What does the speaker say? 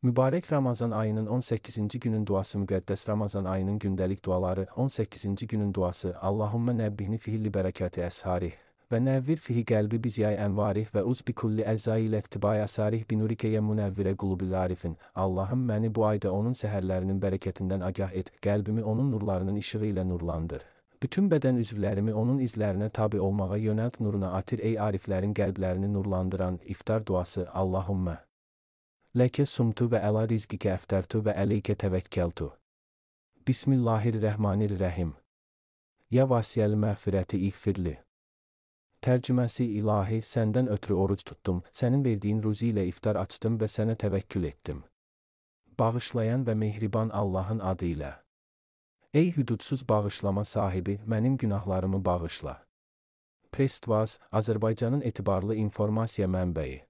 Mübarək Ramazan ayının 18-ci günün duası müqəddəs Ramazan ayının gündəlik duaları 18-ci günün duası Allahümmə nəbbihni fihilli bərəkəti əsharih və nəvvir fihi qəlbi bizyay ənvarih və uz bi kulli əzzai ilə iktibaya sarih binurikəyə münəvvirə qulubil arifin. Allahım məni bu ayda onun səhərlərinin bərəkətindən agah et, qəlbimi onun nurlarının işığı ilə nurlandır. Bütün bədən üzvlərimi onun izlərinə tabi olmağa yönəlt, nuruna atir ey ariflərin qəlblərini nurlandıran iftar duası Allahümmə. Ləkə sumtu və əla rizqikə əftərtu və əleykə təvəkkəltu. Bismillahirrahmanirrahim. Ya vasiyəl məğfirəti iğfirli. Tərcüməsi ilahi, səndən ötürü oruc tutdum, sənin verdiyin ruzi ilə iftar açdım və sənə təvəkkül etdim. Bağışlayan və mehriban Allahın adı ilə. Ey hüdudsuz bağışlama sahibi, mənim günahlarımı bağışla. Prestvaz, Azərbaycanın etibarlı informasiya mənbəyi.